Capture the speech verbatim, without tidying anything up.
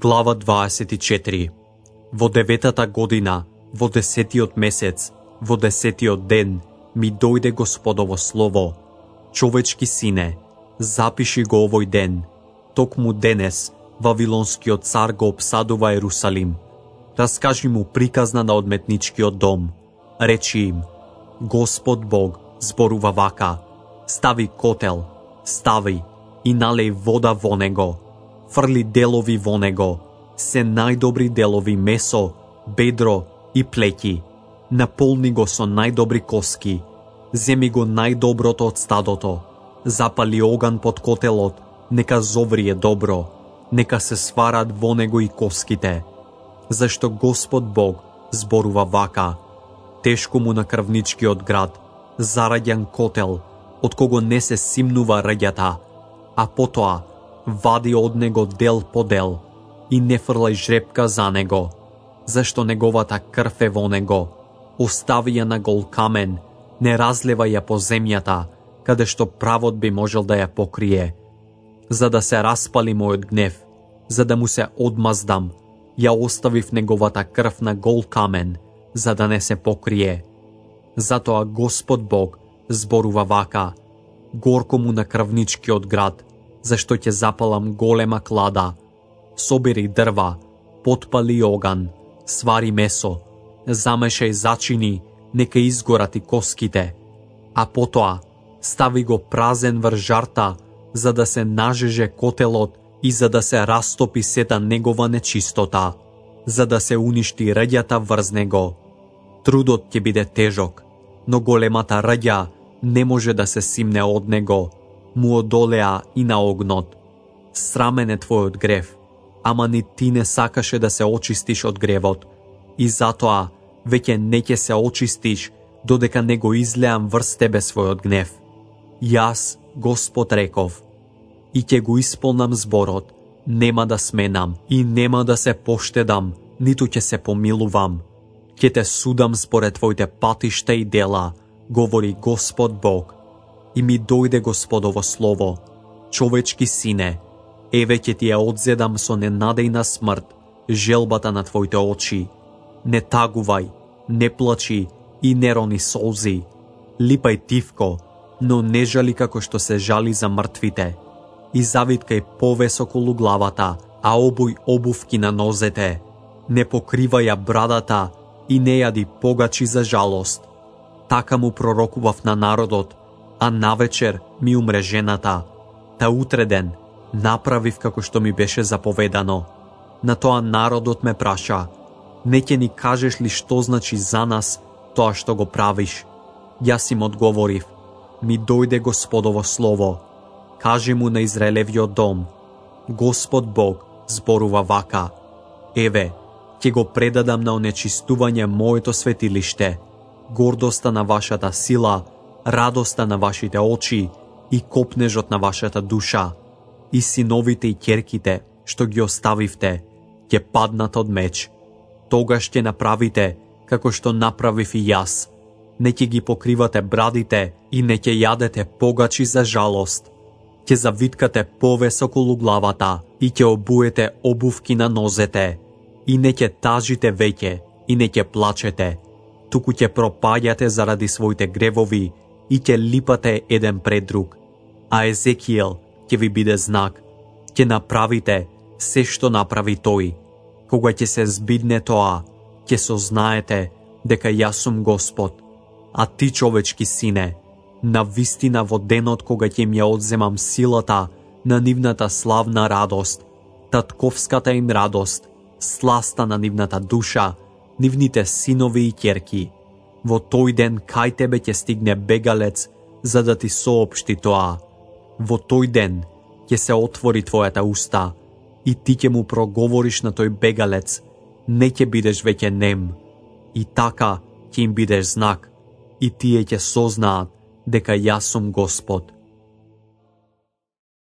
Глава дваесет и четири. Во деветата година, во десетиот месец, во десетиот ден, ми дојде Господово слово. Човечки сине, запиши го овој ден. Токму денес, Вавилонскиот цар го обсадува Ерусалим. Раскажи му приказна на одметничкиот дом. Речи им, Господ Бог зборува вака, стави котел, стави и налеј вода во него, фрли делови во него, се најдобри делови месо, бедро и плеќи, наполни го со најдобри коски, земи го најдоброто од стадото, запали оган под котелот, нека зоврие добро, нека се сварат во него и коските, зашто Господ Бог зборува вака, тешко му на крвничкиот град, зараѓан котел, од кого не се симнува раѓата, а потоа вади од него дел по дел и не фрлај жрепка за него, зашто неговата крв е во него, остави ја на гол камен, не разлева ја по земјата, каде што правот би можел да ја покрие. За да се распали мојот гнев, за да му се одмаздам, ја оставив неговата крв на гол камен, за да не се покрие. Затоа Господ Бог зборува вака, горко му на крвничкиот град, зашто ќе запалам голема клада. Собери дрва, потпали оган, свари месо, замешај зачини, нека изгорат и коските, а потоа стави го празен врз жарта, за да се нажеже котелот и за да се растопи сета негова нечистота, за да се уништи раѓата врз него. Трудот ќе биде тежок, но големата раѓа не може да се симне од него, му одолеа и на огнот. Срамен е твојот грев, ама ни ти не сакаше да се очистиш од гревот, и затоа веќе не ќе се очистиш, додека не го излеам врз тебе својот гнев. Јас, Господ, реков, и ќе го исполнам зборот, нема да сменам и нема да се поштедам, ниту ќе се помилувам. Ќе те судам според твоите патишта и дела, говори Господ Бог. И ми дојде Господово слово, човечки сине, еве ќе ти ја одзедам со ненадејна смрт, желбата на твоите очи. Не тагувај, не плачи и не рони солзи. Липај тивко, но не жали како што се жали за мртвите. И завиткај повес околу главата, а обуј обувки на нозете. Не покривај ја брадата и не јади погачи за жалост. Така му пророкував на народот, а навечер ми умре жената. Та утре ден направив како што ми беше заповедано. На тоа народот ме праша, не ќе ни кажеш ли што значи за нас тоа што го правиш? Јас им одговорив, ми дојде Господово слово. Кажи му на Израелевиот дом, Господ Бог зборува вака, еве, ќе го предадам на онечистување моето светилиште, гордоста на вашата сила, радоста на вашите очи и копнежот на вашата душа, и синовите и ќерките што ги оставивте, ќе паднат од меч. Тогаш ќе направите како што направив и јас. Не ќе ги покривате брадите и не ќе јадете погачи за жалост. Ќе завиткате повес околу главата и ќе обуете обувки на нозете. И не ќе тажите веќе и не ќе плачете, туку ќе пропаѓате заради своите гревови и ќе липате еден пред друг. А Езекиел ќе ви биде знак, ќе направите се што направи тој. Кога ќе се збидне тоа, ќе сознаете дека јас сум Господ. А ти, човечки сине, на вистина во денот кога ќе им ја одземам силата на нивната славна радост, татковската им радост, сласта на нивната душа, нивните синови и ќерки. Во тој ден кај тебе ќе стигне бегалец за да ти соопшти тоа. Во тој ден ќе се отвори твојата уста и ти ќе му проговориш на тој бегалец, не ќе бидеш веќе нем. И така ќе им бидеш знак и тие ќе сознаат дека јас сум Господ.